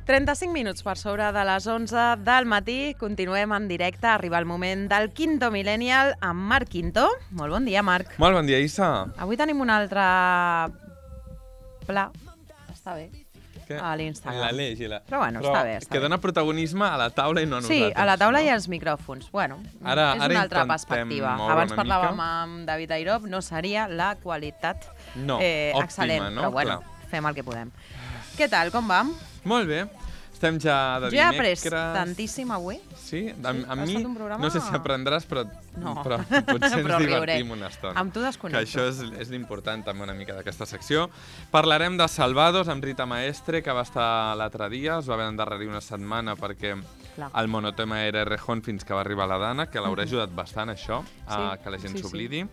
35 minuts per sobre de les 11 del matí. Continuem en directe. Arriba el moment del Quinto Millennial amb Marc Quinto. Molt bon dia, Marc. Molt bon dia, Issa. Avui tenim un altre pla. Està bé. A l'Instagram. L'Aleix i la... Però bueno, està bé. Que dona protagonisme a la taula i no a nosaltres. Sí, a la taula i als micròfons. Bueno, ara és una altra perspectiva. Abans parlàvem amb David Airop, no seria la qualitat excel·lent. Però bueno, fem el que podem. Què tal, com vam? Molt bé. Estem ja de dimecres. Jo he après tantíssim avui. Sí? A mi, no sé si aprendràs, però potser ens divertim una estona. Amb tu desconnecto. Que això és l'important també una mica d'aquesta secció. Parlarem de Salvados amb Rita Maestre, que va estar l'altre dia. Es va haver d'endarrerir una setmana perquè el monotema era Errejón fins que va arribar la Dana, que l'haurà ajudat bastant, això, que la gent s'oblidi.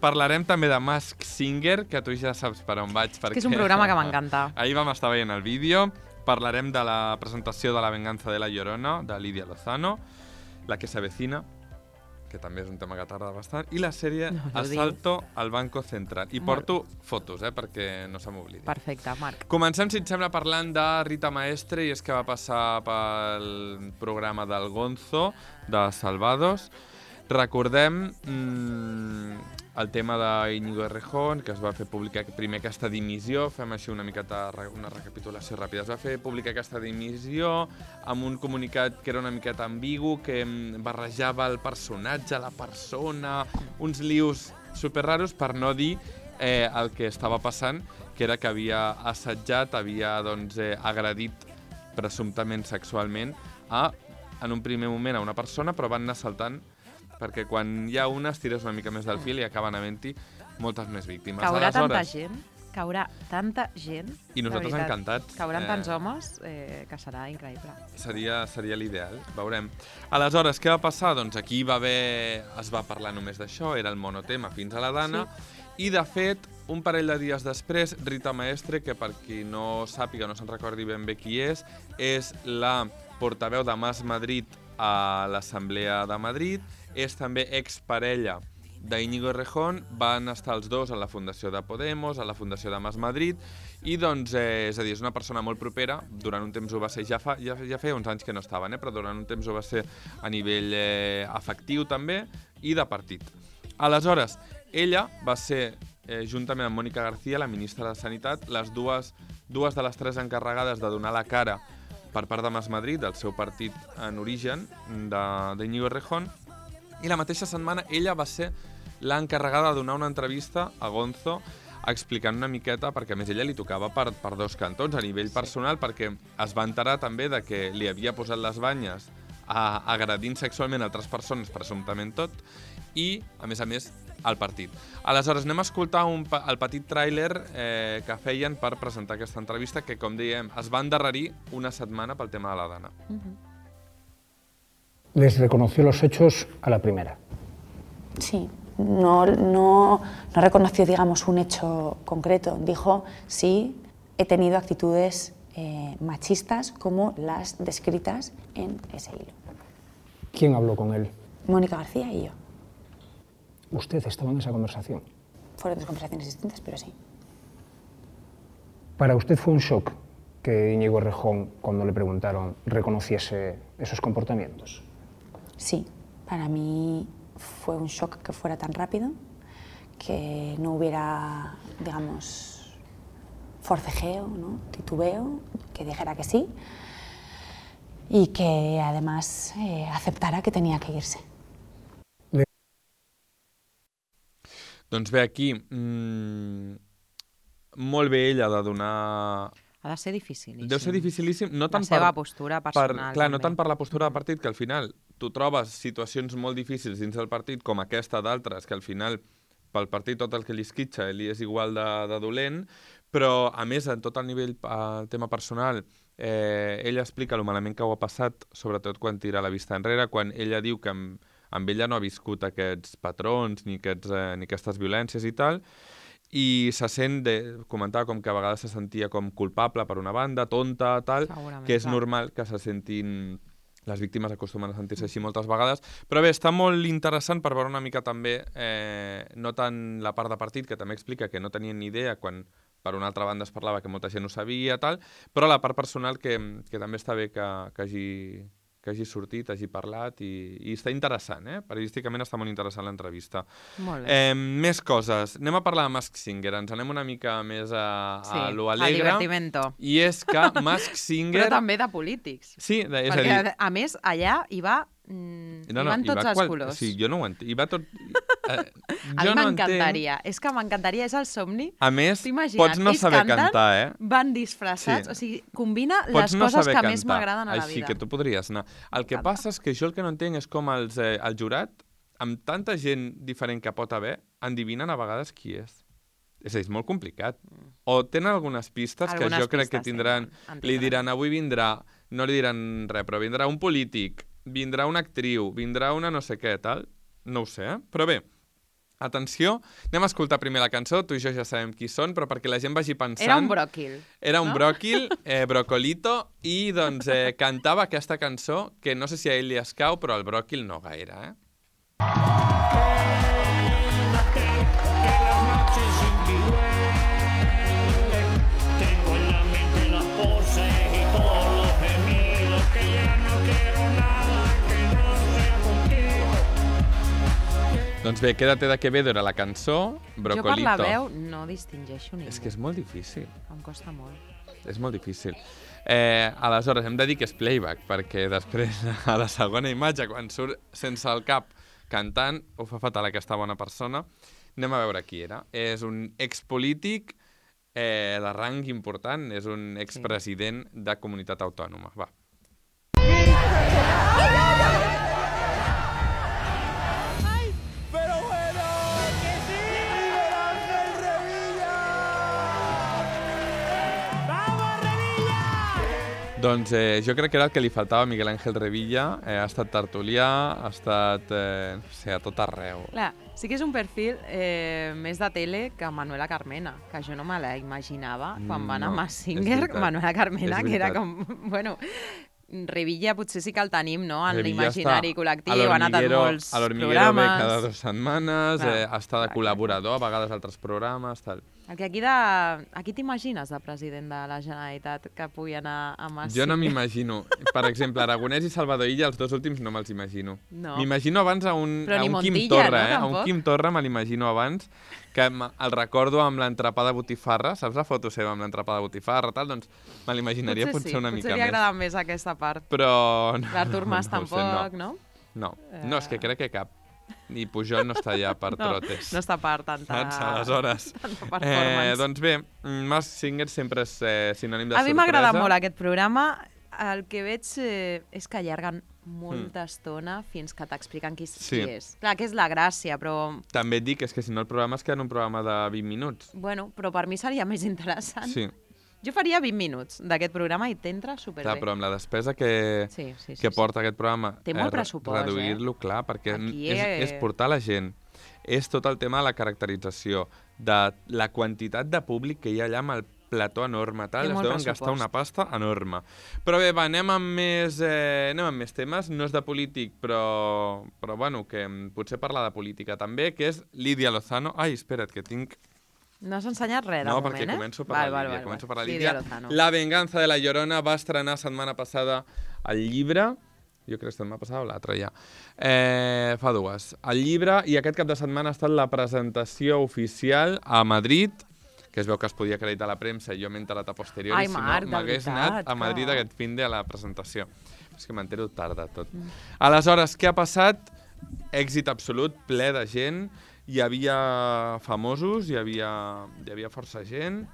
Parlarem també de Masked Singer, que tu ja saps per on vaig. Que és un programa que m'encanta. Ahir vam estar veient el vídeo. Parlarem de la presentació de La venganza de la Llorona, de Lidia Lozano, La que se avecina, que també és un tema que tarda bastant, i la sèrie Asalto al Banco Central. I porto fotos, perquè no se m'oblidi. Perfecte, Marc. Comencem, si et sembla, parlant de Rita Maestre, i és que va passar pel programa del Gonzo, de Salvados. Recordem el tema d'Íñigo Errejón, que es va fer publicar primer aquesta dimissió, fem així una miqueta una recapitulació ràpida. Es va fer publicar aquesta dimissió amb un comunicat que era una miqueta ambigu, que barrejava el personatge, la persona, uns lius superraros, per no dir el que estava passant, que era que havia assetjat, havia agredit presumptament sexualment en un primer moment a una persona, però van anar saltant perquè quan hi ha una es tires una mica més del fil i acaben havent-hi moltes més víctimes. Caurà tanta gent, tanta gent. I nosaltres encantats. Cauran tants homes que serà increïble. Seria l'ideal, veurem. Aleshores, què va passar? Doncs aquí es va parlar només d'això, era el monotema fins a la Dana, i de fet, un parell de dies després, Rita Maestre, que per qui no sàpiga, no se'n recordi ben bé qui és la portaveu de Mas Madrid a l'Assemblea de Madrid, és també exparella d'Íñigo Errejón, van estar els dos a la Fundació de Podemos, a la Fundació de Mas Madrid, i doncs, és a dir, és una persona molt propera, durant un temps ho va ser, ja feia uns anys que no estaven, però durant un temps ho va ser a nivell afectiu també, i de partit. Aleshores, ella va ser, juntament amb Mónica García, la ministra de Sanitat, les dues de les tres encarregades de donar la cara per part de Mas Madrid, del seu partit en origen, d'Íñigo Errejón, i la mateixa setmana ella va ser l'encarregada de donar una entrevista a Gonzo explicant una miqueta, perquè a més ella li tocava per dos cantons a nivell personal, perquè es va enterar també de que li havia posat les banyes agredint sexualment altres persones, presumptament tot, i, a més, al partit. Aleshores, anem a escoltar el petit tràiler que feien per presentar aquesta entrevista, que, com dèiem, es va endarrerir una setmana pel tema de la Dana. Les reconoció los hechos a la primera. Sí, no reconoció, digamos, un hecho concreto. Dijo, sí, he tenido actitudes machistas como las descritas en ese hilo. ¿Quién habló con él? Mónica García y yo. ¿Usted estaba en esa conversación? Fueron dos conversaciones distintas, pero sí. ¿Para usted fue un shock que Íñigo Errejón, cuando le preguntaron, reconociese esos comportamientos? Sí, para mí fue un shock que fuera tan rápido, que no hubiera, digamos, forcejeo, ¿no? Titubeo, que dijera que sí y que además aceptara que tenía que irse. Doncs bé, aquí, molt bé ella de donar... Ha de ser dificilíssim. Deu ser dificilíssim, no tant la seva postura personal. Clar, no tant per la postura del partit, que al final tu trobes situacions molt difícils dins del partit, com aquesta d'altres, que al final pel partit tot el que li esquitxa li és igual de dolent, però a més, en tot el nivell, el tema personal, ella explica el malament que ho ha passat, sobretot quan tira la vista enrere, quan ella diu que amb ella no ha viscut aquests patrons ni aquestes violències i tal, i se sent, comentava com que a vegades se sentia com culpable per una banda, tonta, tal, que és normal que se sentin les víctimes acostumen a sentir-se així moltes vegades. Però bé, està molt interessant per veure una mica també, no tant la part de partit, que també explica que no tenien ni idea quan per una altra banda es parlava que molta gent ho sabia, tal, però la part personal que també està bé que hagi sortit, hagi parlat i està interessant, periodísticament està molt interessant l'entrevista. Molt bé. Més coses. Anem a parlar de Masked Singer, ens anem una mica més a lo alegre. al divertimento. I és que Masked Singer... Però també de polítics. Sí, és a Perquè, dir... a més, allà hi van tots els colors. Sí, jo no ho entenc. Hi va tot... A mi m'encantaria. És que m'encantaria, és el somni. A més, T'imagines? pots no Ells saber canten, cantar, van disfressats, Sí. o sigui, combina Pots les no coses saber que més cantar, m'agraden a la així vida. que tu podries anar. El que passa és que jo el que no entenc és com el jurat, amb tanta gent diferent que pot haver, endivinen a vegades qui és. És a dir, és molt complicat. O tenen algunes pistes que jo crec que tindran... Li diran, avui vindrà, no li diran res, però vindrà un polític, vindrà una actriu, vindrà una no sé què, tal. No ho sé, Però bé, atenció, anem a escoltar primer la cançó, tu i jo ja sabem qui són, però perquè la gent vagi pensant... Era un bròquil. Era un bròquil, brocolito, i doncs cantava aquesta cançó, que no sé si a ell li escau, però al bròquil no gaire, Doncs bé, Quédate de Quevedo era la cançó, Brocolito. Jo per la veu no distingeixo ningú. És que és molt difícil. Em costa molt. És molt difícil. Aleshores, hem de dir que és playback, perquè després, a la segona imatge, quan surt sense el cap cantant, ho fa fatal aquesta bona persona. Anem a veure qui era. És un expolític de rang important, és un expresident de comunitat autònoma. Va. Doncs jo crec que era el que li faltava a Miguel Ángel Revilla. Ha estat tertulià, ha estat, no sé, a tot arreu. Clar, sí que és un perfil més de tele que Manuela Carmena, que jo no me la imaginava quan va anar a Masked Singer, Manuela Carmena, que era com... Bueno, Revilla potser sí que el tenim, no?, en l'imaginari col·lectiu, ha anat a molts programes. A l'Hormiguero ve cada 2 setmanes, està de col·laborador, a vegades altres programes, tal. El que aquí t'imagines de president de la Generalitat que pugui anar a Masked Jo no Singer? m'imagino. Per exemple, Aragonès i Salvador Illa, els dos últims no me'ls imagino. No. M'imagino abans a un Però ni Quim Montilla, Torra, no, a un tampoc? Quim Torra me l'imagino abans, que el recordo amb l'entrepà de botifarra, saps la foto seva amb l'entrepà de botifarra, tal? Doncs me l'imaginaria potser una mica potser li més. agrada més aquesta part. Però... L'Artur Mas no ho sé, tampoc, no? No, és que crec que cap. I Pujol no està allà per trotes. No està per tanta... Aleshores, tanta performance. doncs bé, Masked Singer sempre és sinònim de sorpresa. A mi m'agrada molt aquest programa. El que veig és que allarguen molta estona fins que t'expliquen qui és. Clar, que és la gràcia, però... També et dic és que si no el programa es queda en un programa de 20 minuts. Bueno, però per mi seria més interessant. Sí. Jo faria 20 minuts d'aquest programa i t'entra superbé. Clar, però amb la despesa que porta aquest programa, té molt pressupost, reduir-lo, clar, perquè aquí és portar la gent. És tot el tema de la caracterització, de la quantitat de públic que hi ha allà amb el plató enorme, tal, es deuen gastar una pasta enorme. Però bé, va, anem amb més temes, no és de polític, però bueno, que potser parlar de política també, que és Lídia Lozano. Ai, espera't, que tinc... No has ensenyat res, de moment, perquè començo per la Lídia. Començo per la Lídia. La venganza de la Llorona va estrenar setmana passada el llibre, jo crec que setmana passada o l'altra ja, fa 2. El llibre, i aquest cap de setmana ha estat la presentació oficial a Madrid, que es veu que es podia acreditar a la premsa, i jo m'he enterat a posteriori, si no m'hagués anat a Madrid aquest fin de la presentació. És que m'entero tard de tot. Aleshores, què ha passat? Èxit absolut, ple de gent, hi havia famosos, hi havia força gent,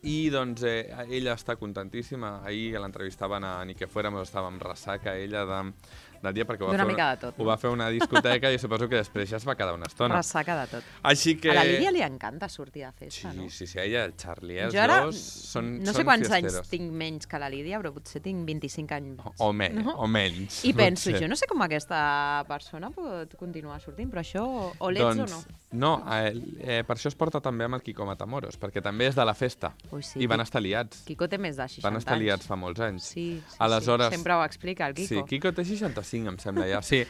i doncs ella està contentíssima. Ahir l'entrevistaven a Ni que fuéramos, estava amb ressaca ella Nadia, perquè D'una mica de tot, ho va fer una discoteca i suposo que després ja es va quedar una estona. Ressaca de tot. Així que... A la Lídia li encanta sortir de festa, no? Sí, ella, el Charlie, els Jo ara dos són no sé quants fiesteros. anys tinc menys que la Lídia, però potser tinc 25 anys. O menys. I penso, potser. jo no sé com aquesta persona pot continuar sortint, però això o l'ets o no? No, per això es porta també amb el Quico Matamoros, perquè també és de la festa. Ui, sí, I van estar liats. Quico té més de 60 anys. Van estar liats fa molts anys. Sí, Aleshores, sempre ho explica el Quico. Sí, Quico té 65, em sembla, ja. Sí,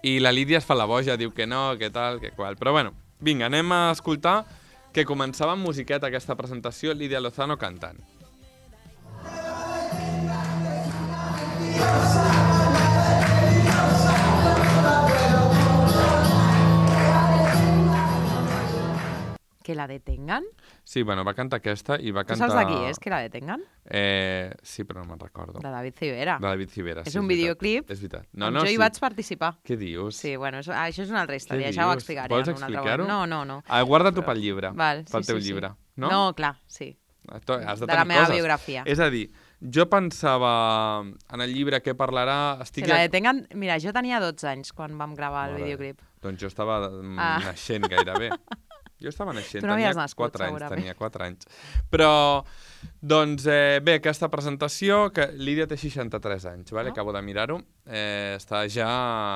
i la Lídia es fa la boja, diu que no, que tal, que qual. Però bueno, vinga, anem a escoltar que començava amb musiqueta aquesta presentació, Lídia Lozano cantant. Que la detengan? Sí, bueno, va cantar aquesta i va Tu cantar... saps de qui és, que la detengan? Sí, però no me'n recordo. De David Civera. De David Civera, És sí, un veritat. videoclip És veritat. jo hi vaig participar. Què dius? Sí, bueno, això és una altra Què història, ja ho dius? explicaré. Vols en un altre explicar-ho? moment. No. Guarda-t'ho pel llibre, Val, pel teu llibre. No? No, clar, sí. Has de De tenir la meva coses. biografia. És a dir, jo pensava en el llibre què parlarà... Que la detengan... Mira, jo tenia 12 anys quan vam gravar el videoclip. Doncs jo estava naixent gairebé. Jo estava naixent, Tu no tenia havies nascut, 4 anys, segurament. tenia 4 anys. Però, doncs, bé, aquesta presentació, que Lídia té 63 anys, ¿vale? Acabo de mirar-ho, està ja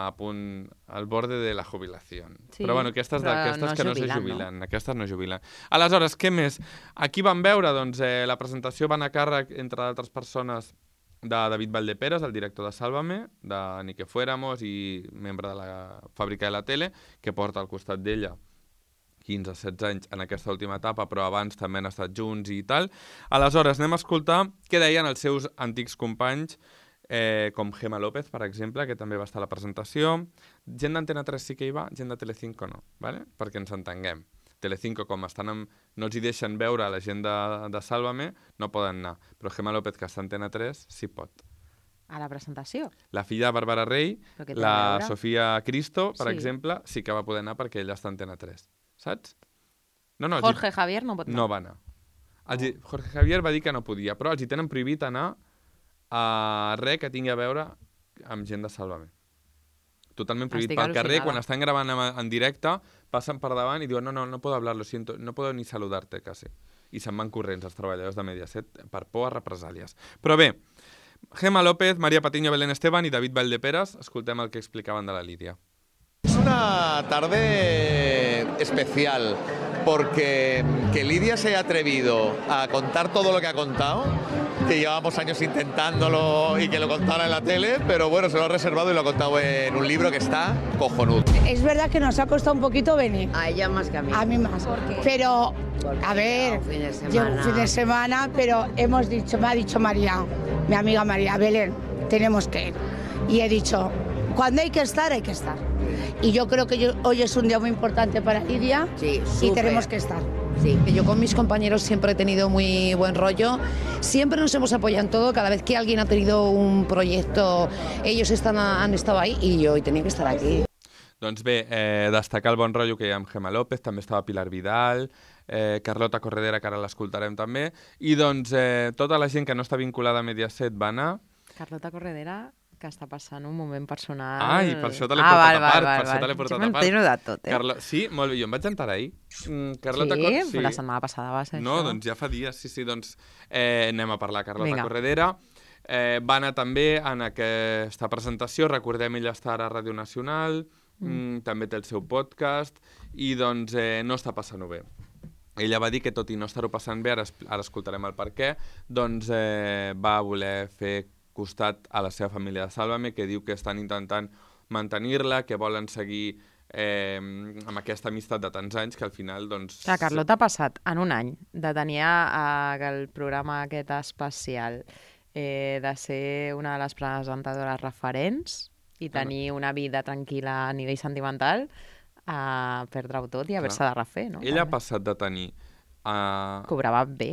a punt, al borde de la jubilació. Sí, però, bueno, aquestes però que no se jubilen, aquestes no jubilen. Aleshores, què més? Aquí vam veure, doncs, la presentació va anar a càrrec, entre d'altres persones, de David Valdeperes, el director de Sálvame, de Ni que fuéramos i membre de la fàbrica de la tele, que porta al costat d'ella 15-16 anys en aquesta última etapa, però abans també han estat junts i tal. Aleshores, anem a escoltar què deien els seus antics companys, com Gemma López, per exemple, que també va estar a la presentació. Gent d'Antena 3 sí que hi va, gent de Telecinco no, ¿vale? Perquè ens entenguem. Telecinco, com no els hi deixen veure la gent de Sálvame, no poden anar. Però Gemma López, que està a Antena 3, sí pot. A la presentació? La filla de Bàrbara Rey, la Sofia Cristo, per exemple, sí que va poder anar perquè ella està a Antena 3. Saps? No, Jorge Javier no pot anar. No va anar. Jorge Javier va dir que no podia, però els hi tenen prohibit anar a res que tingui a veure amb gent de Sálvame. Totalment prohibit. Pel carrer, quan estan gravant en directe, passen per davant i diuen no puedo hablar, lo siento, no puedo ni saludarte, quasi. I se'n van corrents els treballadors de Mediaset per por a represàlies. Però bé, Gemma López, María Patiño, Belén Esteban i David Valdeperes, escoltem el que explicaven de la Lídia. Es una tarde especial porque que Lídia se haya atrevido a contar todo lo que ha contado, que llevamos años intentándolo y que lo contara en la tele, pero bueno, se lo ha reservado y lo ha contado en un libro que está cojonudo. Es verdad que nos ha costado un poquito venir. A ella más que a mí. A mí más. Pero, a ver, llevo un fin de semana, pero hemos dicho, me ha dicho María, mi amiga María, Belén, tenemos que ir. Y he dicho, cuando hay que estar, hay que estar. Y yo creo que hoy es un día muy importante para Lídia y tenemos que estar. Sí, yo con mis compañeros siempre he tenido muy buen rollo, siempre nos hemos apoyado en todo, cada vez que alguien ha tenido un proyecto, ellos han estado ahí y yo hoy tenía que estar aquí. Doncs bé, destacar el bon rotllo que hi ha amb Gemma López, també estava Pilar Vidal, Carlota Corredera, que ara l'escoltarem també, i doncs tota la gent que no està vinculada a Mediaset va anar. Carlota Corredera, que està passant un moment personal... Ai, per això te l'he portat a part, per això te l'he portat a part. Jo m'entero de tot, Sí, molt bé, jo em vaig enterar ahir. Carlota sí, la setmana passada va ser no, això. Doncs ja fa dies, sí, doncs anem a parlar. Carlota Corredera va anar també en aquesta presentació, recordem, ella està ara a Ràdio Nacional, també té el seu podcast, i doncs no està passant-ho bé. Ella va dir que tot i no estar-ho passant bé, ara escoltarem el per què, doncs va voler fer costat a la seva família de Sálvame, que diu que estan intentant mantenir-la, que volen seguir amb aquesta amistat de tants anys, que al final, doncs... La Carlota ha passat en un any de tenir el programa aquest especial, de ser una de les presentadores referents i tenir una vida tranquil·la a nivell sentimental, a perdre-ho tot i haver-se de refer, no? Ella ha passat de tenir... Cobrava bé.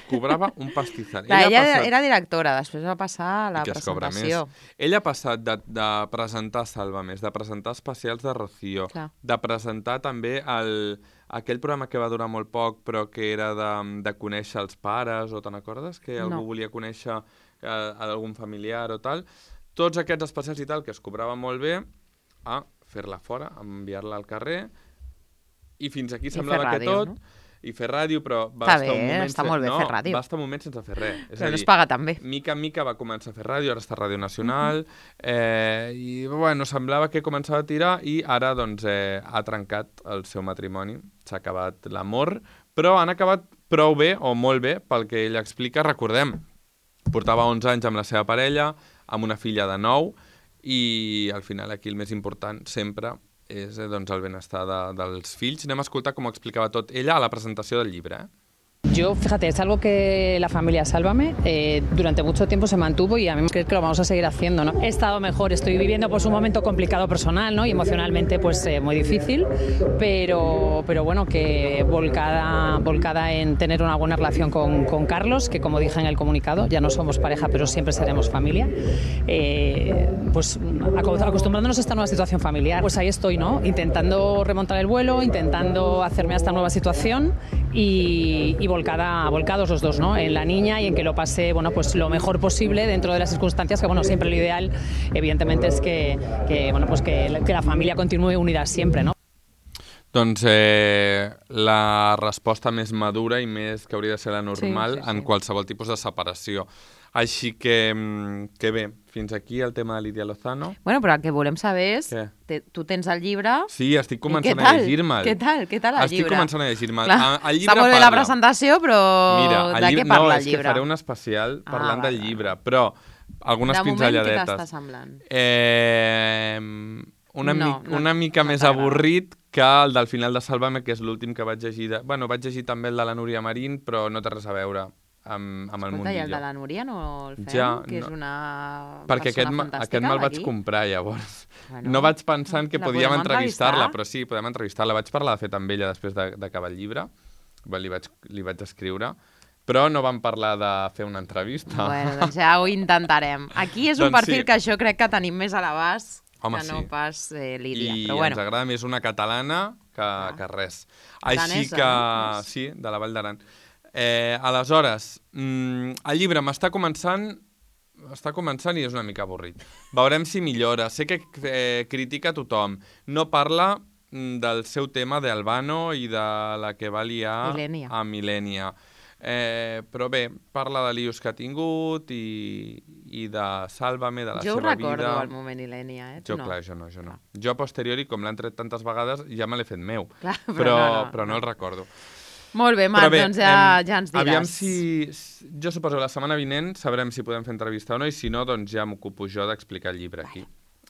Cobrava un pastizal. Ella era directora, després va passar a la presentació. Ella ha passat de presentar Sálvame, de presentar especials de Rocío, de presentar també aquell programa que va durar molt poc, però que era de conèixer els pares, o te'n recordes? Que algú volia conèixer algun familiar o tal. tots aquests especials i tal, que es cobraven molt bé, a fer-la fora, a enviar-la al carrer, i fins aquí semblava que tot... No? I fer ràdio, però va estar un moment... Està molt bé fer ràdio. Va estar un moment sense fer res. Però no es paga tan bé. Mica en mica va començar a fer ràdio, ara està a Ràdio Nacional, i bueno, semblava que començava a tirar i ara doncs ha trencat el seu matrimoni, s'ha acabat l'amor, però han acabat prou bé, o molt bé, pel que ella explica. Recordem, portava 11 anys amb la seva parella, amb una filla de 9, i al final aquí el més important sempre és doncs, el benestar dels fills. Anem a escoltar com ho explicava tot ella a la presentació del llibre. Yo, fíjate, es algo que la familia Sálvame durante mucho tiempo se mantuvo y a mí creo que lo vamos a seguir haciendo, ¿no? He estado mejor, estoy viviendo pues un momento complicado personal, ¿no? Y emocionalmente pues muy difícil, pero bueno, que volcada en tener una buena relación con Carlos, que como dije en el comunicado, ya no somos pareja, pero siempre seremos familia. Pues acostumbrándonos a esta nueva situación familiar, pues ahí estoy, ¿no? Intentando remontar el vuelo, intentando hacerme a esta nueva situación y volcados los dos, ¿no? En la niña y en que lo pase, bueno, pues lo mejor posible dentro de las circunstancias, que bueno, siempre lo ideal, evidentemente, es que bueno, pues que la familia continúe unida siempre, ¿no? Doncs la resposta més madura i més que hauria de ser la normal en qualsevol tipus de separació. Així que bé, fins aquí el tema de Lídia Lozano. Bueno, però el que volem saber és... Tu tens el llibre... Sí, estic començant a llegir-me'l. Què tal el llibre? Estic començant a llegir-me'l. Està molt bé la presentació, però de què parla el llibre? No, és que faré un especial parlant del llibre, però algunes pinzelladetes. De moment, què t'està semblant? Una mica més avorrit que el del final de Sálvame, que és l'últim que vaig llegir. Bueno, vaig llegir també el de la Núria Marín, però no té res a veure amb el Mundillo. Escolta, i el de la Núria no el fem? Ja, que és una perquè persona fantàstica. Aquest me'l vaig comprar, llavors. No vaig pensant que podíem entrevistar-la, però sí, podem entrevistar-la. Vaig parlar, de fet, amb ella després d'acabar el llibre. Li vaig escriure. Però no vam parlar de fer una entrevista. Bueno, doncs ja ho intentarem. Aquí és un perfil que jo crec que tenim més a l'abast que no pas Lídia. I ens agrada més una catalana que res. Així que... Sí, de la Vall d'Aran. Aleshores, el llibre m'està començant i és una mica avorrit. Veurem si millora. Sé que critica a tothom. No parla del seu tema d'Albano i de la que va liar a Milènia. Però bé, parla de líos que ha tingut i de Sálvame, de la seva vida. Jo ho recordo, el moment Ilènia, Jo no. Jo a posteriori, com l'han tret tantes vegades, ja me l'he fet meu. Clar, però no el recordo. Molt bé, Marc, doncs ja ens diràs. Aviam si... Jo suposo que la setmana vinent sabrem si podem fer entrevista o no, i si no, doncs ja m'ocupo jo d'explicar el llibre aquí.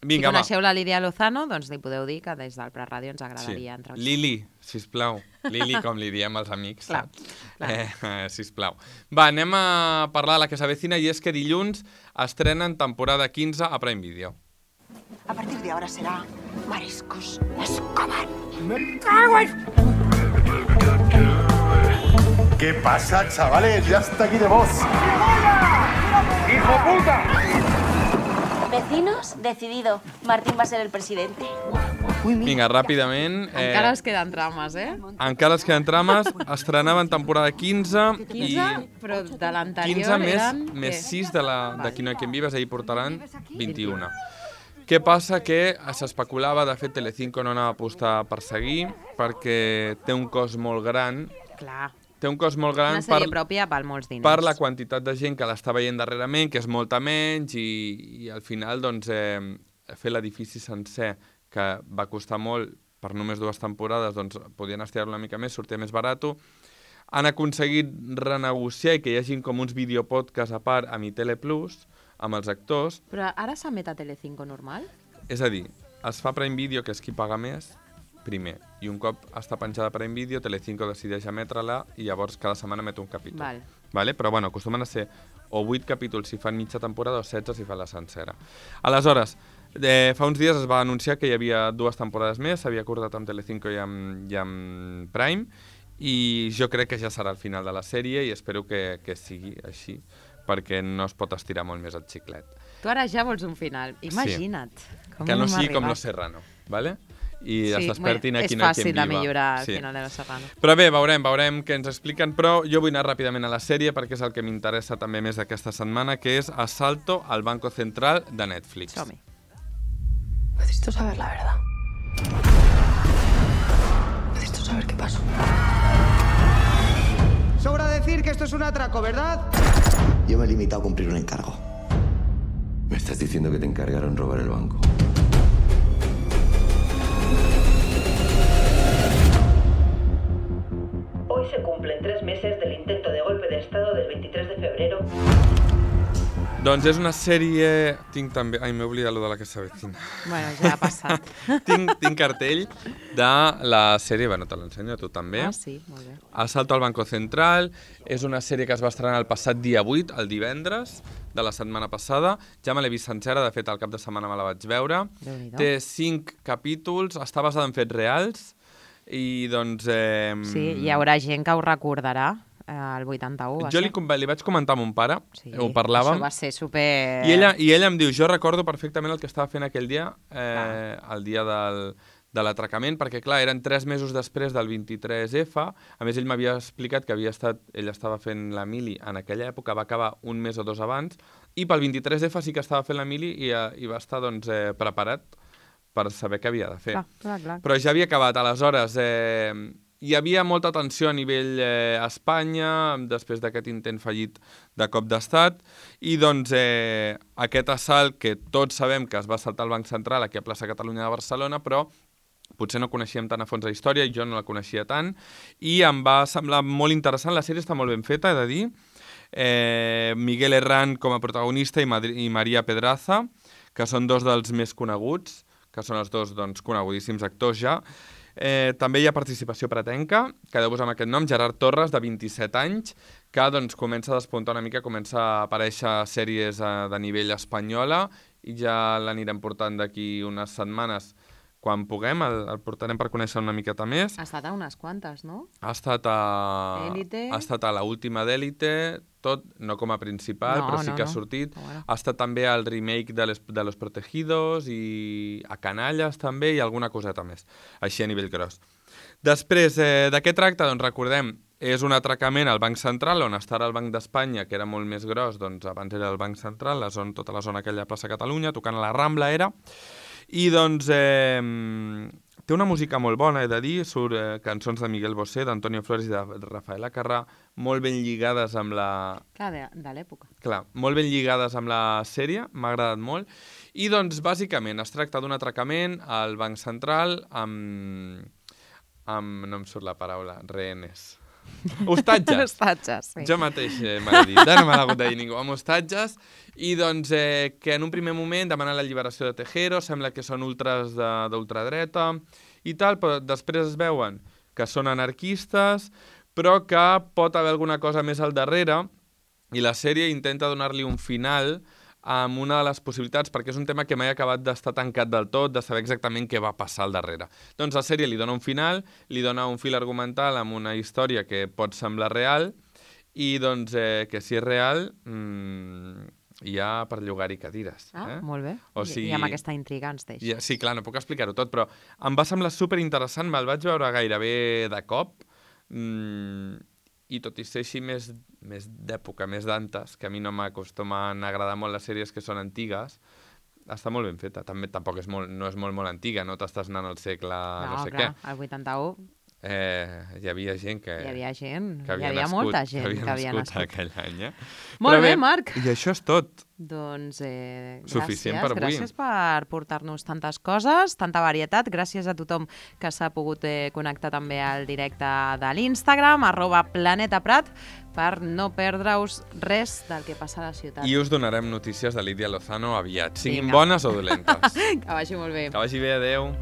Vinga, si coneixeu la Lídia Lozano, doncs li podeu dir que des del Preràdio ens agradaria entrevistar. Lili, sisplau. Lili, com li diem als amics. Sisplau. Va, anem a parlar de la que s'avecina, i és que dilluns estrenen temporada 15 a Prime Video. A partir de ahora será Mariscos Escobar. ¡Me cago en...! ¿Qué pasa, chavales? Ya está aquí de voz. ¡Hijo puta! Vecinos, decidido. Martín va a ser el presidente. Vinga, ràpidament. Encara es queden trames, Encara es queden trames. Estrenaven temporada 15. 15, però de l'anterior 15 eren... més 6 de Qui no hi ha quien vives, ahir portaran 21. Què passa? Que s'especulava, de fet, Telecinco no anava a apostar per seguir, perquè té un cost molt gran. Clar. Té un cost molt gran una sèrie pròpia per molts diners. Per la quantitat de gent que l'està veient darrerament, que és molta menys, i al final doncs, fer l'edifici sencer, que va costar molt per només 2 temporades, doncs podien estirar una mica més, sortia més barat. Han aconseguit renegociar i que hi hagi com uns videopodcasts a part a Mi Tele Plus, amb els actors. Però ara s'emet a Telecinco normal? És a dir, es fa Prime Video, que és qui paga més, primer, i un cop està penjada per Prime Video, Telecinco decideix emetre-la i llavors cada setmana emet un capítol. Vale? Però bueno, acostumen a ser o 8 capítols si fan mitja temporada o 16 si fan la sencera. Aleshores, fa uns dies es va anunciar que hi havia 2 temporades més, s'havia acordat amb Telecinco i amb Prime, i jo crec que ja serà el final de la sèrie i espero que sigui així, perquè no es pot estirar molt més el xiclet. Tu ara ja vols un final, imagina't. Que no sigui com Los Serrano, vale? i es despertin a Qui no hay quien viva. És fàcil de millorar al final de Los Serrano. Però bé, veurem què ens expliquen, però jo vull anar ràpidament a la sèrie perquè és el que m'interessa també més d'aquesta setmana, que és Asalto al Banco Central de Netflix. Som-hi. Necesito saber la verdad. Necesito saber qué pasó. Sobra decir que esto es un atraco, ¿verdad? Yo me he limitado a cumplir un encargo. ¿Me estás diciendo que te encargaron robar el banco? Hoy se cumplen 3 meses del intento de golpe de Estado del 23 de febrero. Doncs és una sèrie... Tinc també... Ai, m'he oblidat de la que s'avecina. Bueno, ja ha passat. tinc cartell de la sèrie... Bueno, te l'ensenyo a tu també. Ah, sí, molt bé. Asalto al Banco Central. És una sèrie que es va estrenar el passat dia 8, el divendres de la setmana passada. Ja me l'he vist sencera, de fet, el cap de setmana me la vaig veure. Té 5 capítols, està basada en fets reals i, doncs... Sí, hi haurà gent que ho recordarà. El 81 Jo li vaig comentar a mon pare, ho parlàvem. Això va ser super... I ella em diu, jo recordo perfectament el que estava fent aquell dia, el dia de l'atracament, perquè clar, eren 3 mesos després del 23F, a més ell m'havia explicat que ell estava fent la mili en aquella època, va acabar un mes o 2 abans, i pel 23F sí que estava fent la mili i va estar doncs, preparat per saber què havia de fer. Clar. Però ja havia acabat, aleshores... Hi havia molta tensió a nivell Espanya, després d'aquest intent fallit de cop d'estat, i doncs aquest assalt, que tots sabem que es va assaltar al Banc Central aquí a Plaça Catalunya de Barcelona, però potser no coneixíem tant a fons la història, jo no la coneixia tant, i em va semblar molt interessant. La sèrie està molt ben feta, he de dir. Miguel Herrán com a protagonista i Maria Pedraza, que són dos dels més coneguts, que són els dos conegudíssims actors ja. També hi ha participació pretenca, quedeu-vos amb aquest nom, Gerard Torres, de 27 anys, que comença a despuntar una mica, comença a aparèixer a sèries de nivell espanyola i ja l'anirem portant d'aquí unes setmanes. Quan puguem, el portarem per conèixer una miqueta més. Ha estat a unes quantes, no? Ha estat a l'última d'Élite, tot, no com a principal, però sí que ha sortit. Ha estat també al remake de Los Protegidos i a Canalles també i alguna coseta més, així a nivell gros. Després, de què tracta? Doncs recordem, és un atracament al Banc Central, on està el Banc d'Espanya, que era molt més gros, doncs abans era el Banc Central, tota la zona aquella de Plaça Catalunya, tocant a la Rambla era, i doncs té una música molt bona, he de dir, surt cançons de Miguel Bosé, d'Antonio Flores i de Rafael Acarrà, molt ben lligades amb la... Clar, de l'època. Clar, molt ben lligades amb la sèrie, m'ha agradat molt, i doncs bàsicament es tracta d'un atracament al Banc Central amb no em surt la paraula, rehenes. Hostatges. Hostatges, sí. Jo mateix m'ha dit, no m'ha hagut de dir ningú, amb hostatges, i doncs que en un primer moment demanen la lliberació de Tejero, sembla que són ultras d'ultradreta i tal, però després es veuen que són anarquistes, però que pot haver alguna cosa més al darrere, i la sèrie intenta donar-li un final amb una de les possibilitats, perquè és un tema que mai ha acabat d'estar tancat del tot, de saber exactament què va passar al darrere. Doncs la sèrie li dona un final, li dona un fil argumental amb una història que pot semblar real, i doncs que si és real hi ha per llogar-hi cadires. Molt bé. I amb aquesta intriga ens deixa. Sí, clar, no puc explicar-ho tot, però em va semblar superinteressant, me'l vaig veure gairebé de cop, i tot i ser així més d'època, més d'antes, que a mi no m'acostumen a agradar molt les sèries que són antigues, està molt ben feta. També tampoc no és molt antiga, no t'estàs anant al segle no sé què. Al 81... hi havia gent que... Hi havia gent, hi havia molta gent que havia nascut aquell any. Molt bé, Marc. I això és tot. Doncs suficient per avui. Gràcies per portar-nos tantes coses, tanta varietat. Gràcies a tothom que s'ha pogut connectar també al directe de l'Instagram, @planetaprat, per no perdre-us res del que passa a la ciutat. I us donarem notícies de Lídia Lozano aviat, siguin bones o dolentes. Que vagi molt bé. Que vagi bé, adeu.